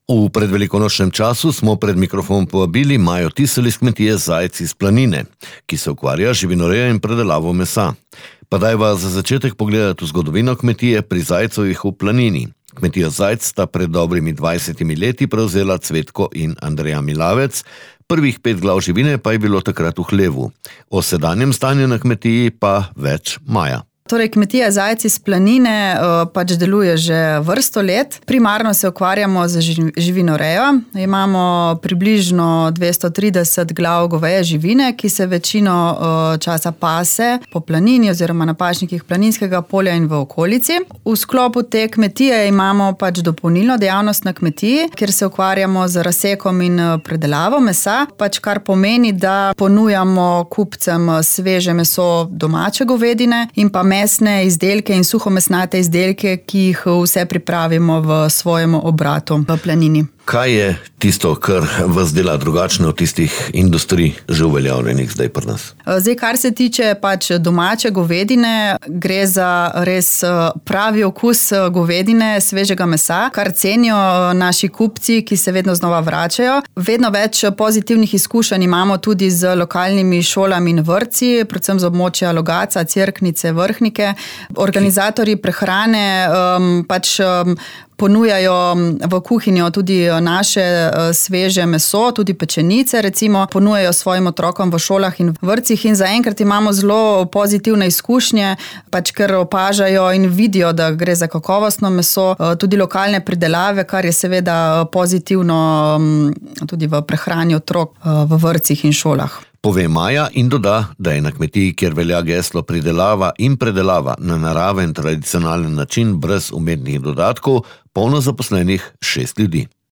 V predvelikonočnem času smo pred mikrofon povabili Majo Tisel iz kmetije Zajec iz Planine, ki se ukvarja z živinorejo in predelavo mesa. Pa dajva za začetek pogledati v zgodovino kmetije pri Zajcovih v Planini. Kmetijo Zajc sta pred dobrimi 20 leti prevzela Cvetko in Andreja Milavec, prvih 5 glav živine pa je bilo takrat v hlevu. O sedanjem stanju na kmetiji pa več Maja. Torej, kmetija Zajec iz Planine pač deluje že vrsto let. Primarno se ukvarjamo z živinorejo. Imamo približno 230 glav goveje živine, ki se večino časa pase po planini oziroma na pašnikih Planinskega polja in v okolici. V sklopu te kmetije imamo pač dopolnilno dejavnost na kmetiji, kjer se ukvarjamo z razsekom in predelavo mesa, pač kar pomeni, da ponujamo kupcem sveže meso domače govedine in pa mesne izdelke in suhomesnate izdelke, ki jih vse pripravimo v svojem obratu v Planini. Kaj je tisto, kar vas dela drugačno od tistih industrij že uveljavljenih zdaj pri nas? Zdaj, kar se tiče pač domače govedine, gre za res pravi okus govedine, svežega mesa, kar cenijo naši kupci, ki se vedno znova vračajo. Vedno več pozitivnih izkušenj imamo tudi z lokalnimi šolami in vrtci, predvsem z območja Logatca, Cerknice, Vrhnike. Organizatorji prehrane pač ponujajo v kuhinjo tudi naše sveže meso, tudi pečenice recimo, ponujajo svojim otrokom v šolah in vrtcih in zaenkrat imamo zelo pozitivne izkušnje, pač ker opažajo in vidijo, da gre za kakovostno meso, tudi lokalne pridelave, kar je seveda pozitivno tudi v prehrani otrok v vrtcih in šolah. Pove Maja in doda, da je na kmetiji, kjer velja geslo pridelava in predelava na naraven tradicionalen način brez umetnih dodatkov, polno zaposlenih 6 ljudi.